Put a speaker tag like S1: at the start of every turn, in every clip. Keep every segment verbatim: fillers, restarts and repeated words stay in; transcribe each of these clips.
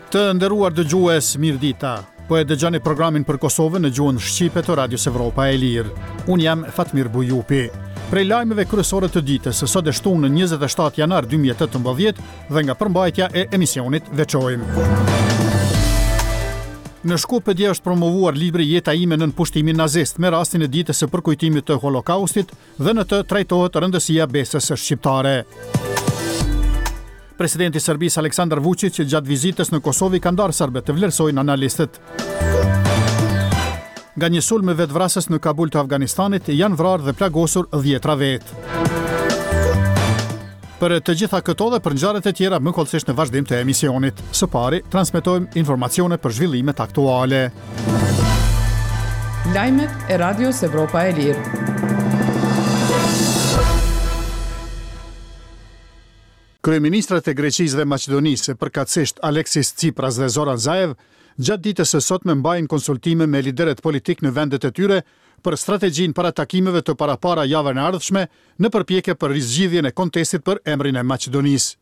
S1: Të nderuar dëgjues, mirëdita. Po e dëgjoni programin për Kosovën në gjuhën shqipe të Radios Evropa e Lirë. Unë jam Fatmir Bujupi. Prej lajmeve kryesore të ditës, sot e shtunë në njëzet e shtatë janar dy mijë e tetëmbëdhjetë dhe nga përmbajtja e emisionit veçojmë. Në Shkup dje është promovuar libri Jeta ime nën pushtimin nazist me rastin e ditës së përkujtimit të Holokaustit dhe në të trajtohet rëndësia besës shqiptare. Presidenti i Serbisë Aleksandar Vučić gjatë vizitës në Kosovë i ka ndarë serbët, të vlerësojnë analistët. Nga një sulm vetvrasës në Kabul të Afganistanit janë vrarë dhe plagosur dhjetra vetë. Për të gjitha këto dhe për ngjarjet e tjera më hollësisht në vazhdim të emisionit. Së pari, transmetojmë informacione për zhvillimet aktuale.
S2: Lajmet e Radios Evropa e Lirë.
S1: Kryeministrat e Greqisë dhe Maqedonisë, përkatësisht Alexis Tsipras dhe Zoran Zaev, gjatë ditës së sotme mbajnë konsultime me liderët politik në vendet e tyre për strategjinë para takimeve të parapara javën e ardhshme në përpjekje për rizgjidhjen e kontestit për emrin e Maqedonisë.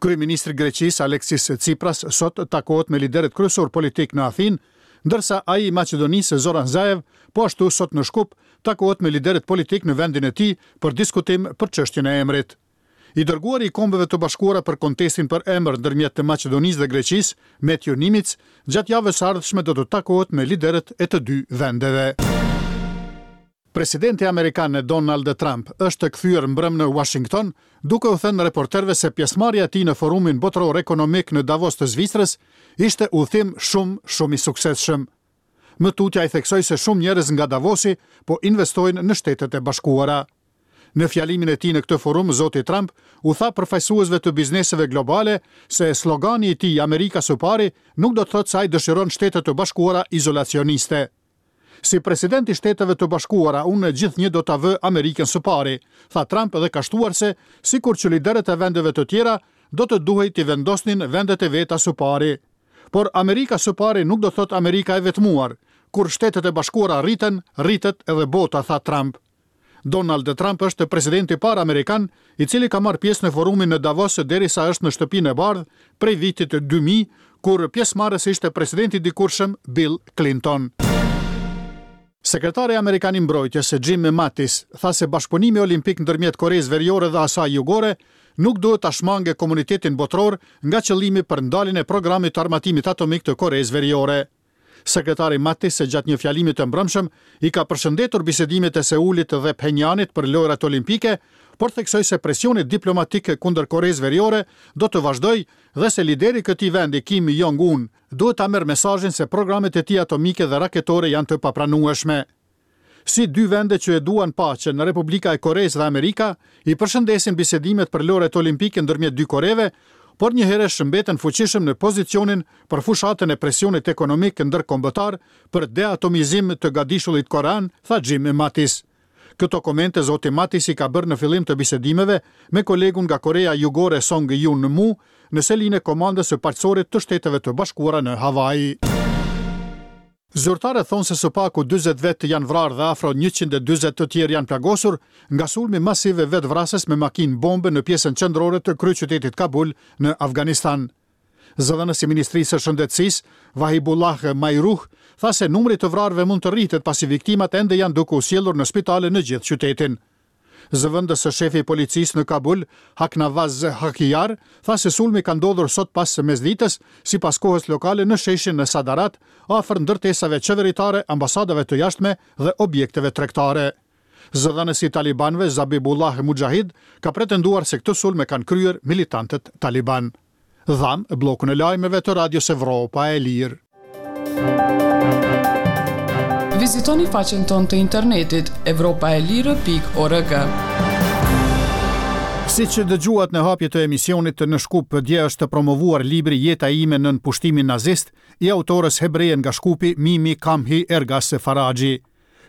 S1: Kryeministri i Greqisë Alexis Tsipras sot takohet me liderët kryesor politik në Athinë, ndërsa ai i Maqedonisë Zoran Zaev po ashtu sot në Shkup takohet me liderët politik në vendin e tij për diskutim për çështjen e emrit. I dërguari i Kombeve të Bashkuara për kontestin për emër ndërmjet të Maqedonisë dhe Greqisë, Matthew Nimitz, gjatë javës së ardhshme do të takohet me liderët e të dy vendeve. Presidenti amerikan Donald Trump është kthyer mbrëm në Washington, duke u thënë reporterëve se pjesëmarrja e tij në forumin botëror ekonomik në Davos të Zvicrës ishte udhëtim shumë, shumë i suksesshëm. Më tutje ai theksoi se shumë njerëz nga Davosi po investojnë në Shtetet e Bashkuara. Në fjalimin e tij në këtë forum, zoti Trump u tha përfaqësuesve të bizneseve globale se slogani i tij Amerika së pari nuk do të thotë se ai dëshiron Shtetet e Bashkuara izolacioniste. Si president i Shteteve të Bashkuara, unë gjithnjë do ta vë Amerikën së pari, tha Trump dhe ka shtuar se, sikur që liderët e vendeve të tjera, do të duhej t'i vendosnin vendet e veta së pari. Por Amerika së pari nuk do thotë Amerika e vetmuar. Kur Shtetet e Bashkuara rriten, rritet edhe bota, tha Trump. Donald Trump është presidenti i parë amerikan i cili ka marrë pjesë në forumin në Davos derisa është në Shtëpinë e Bardhë prej vitit dy mijë, kur pjesëmarrës ishte presidenti i dikurshëm Bill Clinton. Sekretari amerikan i mbrojtjes Jim Mattis tha se bashkëpunimi olimpik ndërmjet Koresë Veriore dhe asaj Jugore nuk duhet ta shmangë komunitetin botëror nga qëllimi për ndaljen e programit të armatimit atomik të Koresë Veriore. Sekretari Mattis gjatë një fjalimi të mbrëmshëm i ka përshëndetur bisedimet e Seulit dhe Phenjanit për lojrat olimpike, por theksoi se presioni diplomatik kundër Koresë Veriore do të vazhdojë dhe se lideri i këtij vendi Kim Jong-un duhet ta merr mesazhin se programet e tij atomike dhe raketore janë të papranueshme. Si dy vende që e duan paqen në Republika e Koresë dhe Amerika, i përshëndesin bisedimet për lojrat olimpike ndërmjet dy Koreve, por njëherë shëmbeten fuqishëm në pozicionin për fushatën e presionit ekonomik ndërkombëtar për deatomizim të gadishullit korean, tha Jim Mattis. Këto komente zoti Mattis i ka bërë në fillim të bisedimeve me kolegun nga Korea Jugore Song Yun Mu në selinë e komandës së paqësorit të Shteteve të Bashkuara në Hawaii. Zyrtarët thonë se së paku dyzet vetë janë vrarë dhe afro njëqind e dyzet të tjerë janë plagosur nga sulmi masiv vetvrasës me makinë bombe në pjesën qendrore të kryeqytetit Kabul në Afganistan. Zëdhënësi i Ministrisë së Shëndetësisë, Vahibullah Majruh, tha se numri i të vrarëve mund të rritet pasi viktimat ende janë duke u sjellur në spitale në gjithë qytetin. Zëvendës së shefi i policisë në Kabul, Haknavaz Hakijar, tha se sulmi ka ndodhur sot pas mesditës, sipas kohës lokale në sheshin në Sadarat, afër ndërtesave qeveritare, ambasadave të jashtme dhe objekteve tregtare. Zëdhënësi i talibanëve Zabibullah Mujahid ka pretenduar se këtë sulm e kanë kryer militantët taliban. Dham bllokun e lajmeve të Radios Evropa e Lirë.
S2: Vizitoni faqen tonë të internetit evropa e lirë pikë org.
S1: Si që dëgjuat në hapje të emisionit në Shkup, dje është promovuar libri Jeta ime nën pushtimin nazist i autores hebreje nga Shkupi Mimi Kamhi Ergas Faraxhi.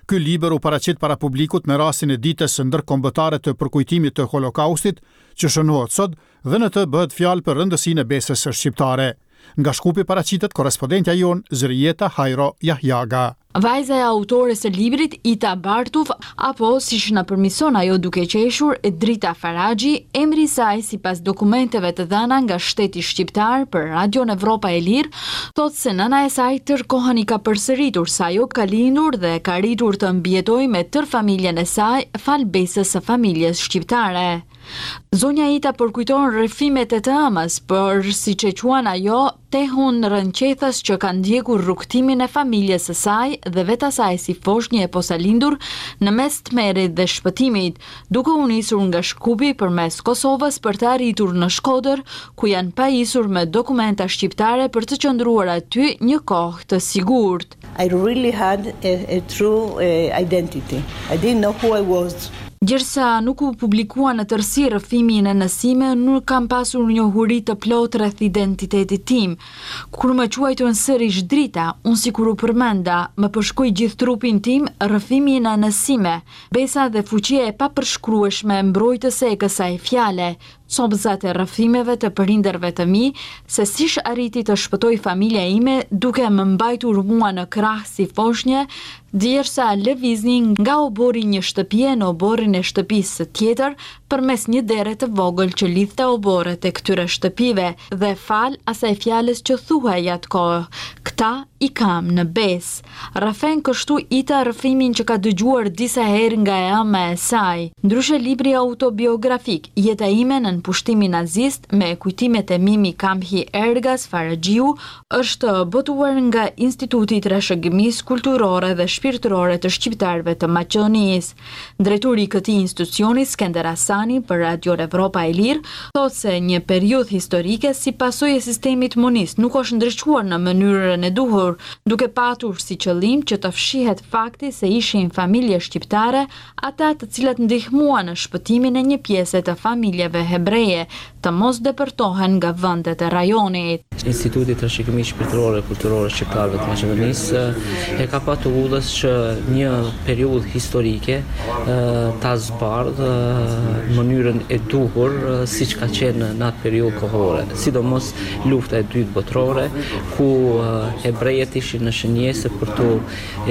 S1: Ky libër u paraqit para publikut me rastin e ditës ndërkombëtare të përkujtimit të Holokaustit, që shënohet sot, dhe në të bëhet fjalë për rëndësinë e besës shqiptare. Nga Shkupi paraqitet korrespondentja jonë Zërijeta Hajro Jahjaga.
S3: Vajza e autores së librit Ita Bartuf, apo siç na përmison ajo duke qeshur, Drita Faraxhi, emri i saj sipas dokumenteve të dhëna nga shteti shqiptar për Radion Evropa e Lirë, thotë se nëna e saj tërë kohën i ka përsëritur se ajo ka lindur dhe ka arritur të mbijetojë me tërë familjen e saj falë besës së familjes shqiptare. Zonja Ita përkujton rrëfimet e të ëmës, por siç e quan ajo, tehun rrënqethës që ka ndjekur rrugëtimin e familjes së saj dhe vetë asaj si foshnjë e posalindur në mes tmerrit dhe shpëtimit, duke u nisur nga Shkupi përmes Kosovës për të arritur në Shkodër, ku janë pajisur me dokumenta shqiptare për të qëndruar aty një kohë të sigurt.
S4: I really had a, a true uh, identity. I didn't know who I was.
S3: Gjersa nuk u publikua në tërësi rrëfimi i nënës sime, nuk kam pasur njohuri të plotë rreth identitetit tim. Kur më quajtën sërish Drita, unë sikur u përmenda, më përshkoi gjithë trupin tim rrëfimi i nënës sime, besa dhe fuqia e papërshkrueshme mbrojtëse e kësaj fjale, copëzat e rrëfimeve të prindërve të mi, se sish arriti të shpëtoj familja ime duke më mbajtur mua në krah si foshnje, djersa lëviznin nga oborri një shtëpie në oborrin e shtëpisë së tjetër përmes një dere të vogël që lidhte oborret e këtyre shtëpive dhe fal asaj fjalës që thuhej atë kohë, këta i kam në besë. Rrëfen kështu Ita rrëfimin që ka dëgjuar disa herë nga e ëma e saj. Ndryshe libri autobiografik Jeta ime nën pushtimin nazist me kujtimet e Mimi Kamhi Ergas Faraxhiu është botuar nga Instituti i Trashëgimisë Kulturore dhe Shpirtërore të Shqiptarëve të Maqedonisë. Drejtori i këtij institucioni Skender Hasani për Radio Evropa e Lirë thotë se një periudhë historike si pasojë e sistemit monist nuk është ndriçuar në mënyrën e duhur, duke patur si qëllim që të fshihet fakti se ishin familje shqiptare ata të cilat ndihmuan në shpëtimin e një pjese të familjeve hebreje të mos depërtohen nga vendet e rajonit.
S5: Instituti i Trashëgimisë Shpirtërore e Kulturore Shqiptarëve të Maqedonisë e ka patur udhës që një periudhë historike ta zbardh në mënyrën e duhur siç ka qenë në atë periudhë kohore, sidomos lufta e dytë botërore, ku hebrejet ishin në shënjesë për t'u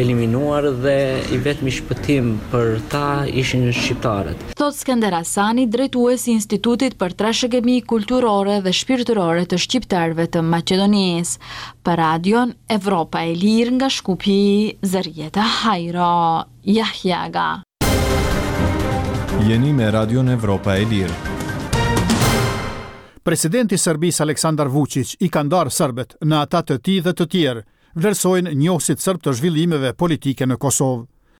S5: eliminuar dhe i vetmi shpëtim për ta ishin shqiptarët.
S3: Thot Skender Hasani, drejtues i Institutit për Trashëgimi Kulturore dhe Shpirtërore të Shqiptarëve të Maqedonisë. Për Radion Evropa e Lirë nga Shkupi, Zërjeta Hajro, Jahjaga.
S6: Jeni me Radion Evropa e Lirë.
S1: Presidenti i Serbisë Aleksandar Vučić i ka ndarë serbët në ata të tij dhe të tjerë, vlerësojnë njohësit serb të zhvillimeve politike në Kosovë.